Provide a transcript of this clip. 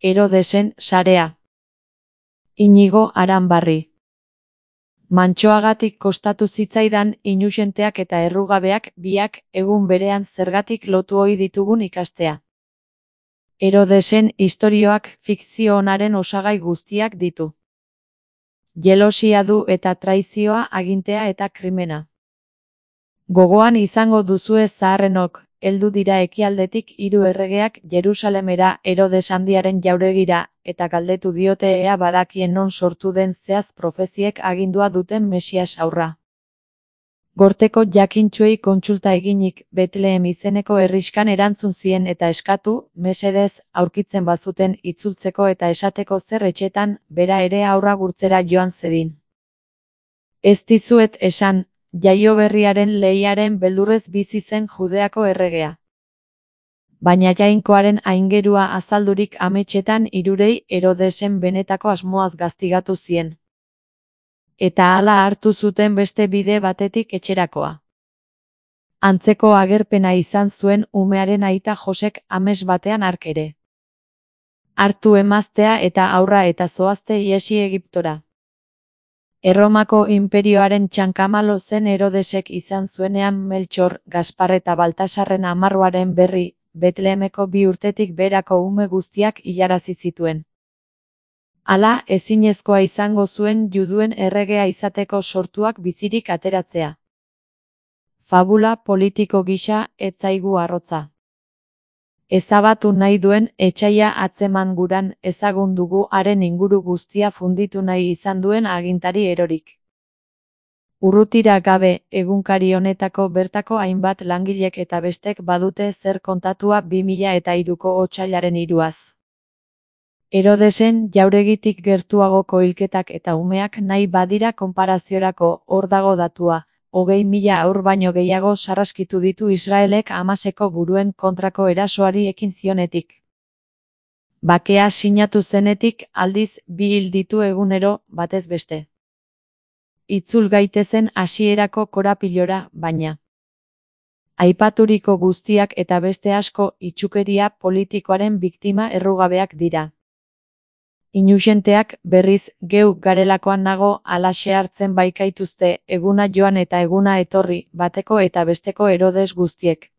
Herodesen sarea. Inigo Aranbarri. Mantsoagatik kostatu zitzaidan inuzenteak eta errugabeak biak egun berean zergatik lotu ohi ditugun ikastea. Herodesen istorioak fikzio onaren osagai guztiak ditu. Jelosia du eta traizioa, agintea eta krimena. Gogoan izango duzue zaharrenok, heldu dira ekialdetik 3 erregeak Jerusalemera Herodes Handiaren jauregira, eta galdetu diote ea badakien non sortu den zehaz profeziek agindua duten Mesias haurra. Gorteko jakintsuei kontsulta eginik, Betlehem izeneko herrixkan erantzun zien eta eskatu, mesedez, aurkitzen bazuten itzultzeko eta esateko zer etxetan, bera ere haurra gurtzera joan zedin. Ez dizuet esan, jaioberriaren lehiaren beldurrez bizi zen Judeako erregea. Baina jainkoaren aingerua azaldurik ametsetan hirurei Herodesen benetako asmoaz gaztigatu zien. Eta hala hartu zuten beste bide batetik etxerakoa. Antzeko agerpena izan zuen umearen aita Josek ames batean hark ere. Hartu emaztea eta haurra eta zoazte iesi Egiptora. Erromako inperioaren txankamalo zen Herodesek izan zuenean Meltxor, Gaspar eta Baltasarren amarruaren berri, Betlehemeko 2 urtetik berako ume guztiak hilarazi zituen. Hala, ezinezkoa izango zuen juduen erregea izateko sortuak bizirik ateratzea. Fabula politiko gisa ez zaigu arrotza. Ezabatu nahi duen etsaia atzeman guran ezagun dugu haren inguru guztia funditu nahi izan duen agintari erorik. Urrutira gabe, egunkari honetako bertako hainbat langilek eta bestek badute zer kontatua 2003ko otsailaren 3az. Herodesen jauregitik gertuagoko hilketak eta umeak nahi badira konparaziorako, hor dago datua. 20.000 haur baino gehiago sarraskitu ditu Israelek Hamaseko buruen kontrako erasoari ekin zionetik. Bakea sinatu zenetik aldiz 2 hil ditu egunero, batez beste. Itzul gaitezen hasierako korapilora, baina. Aipaturiko guztiak eta beste asko itsukeria politikoaren biktima errugabeak dira. Inuzenteak, berriz, geu garelakoan nago alaxe hartzen baikaituzte eguna joan eta eguna etorri, bateko eta besteko Herodes guztiek.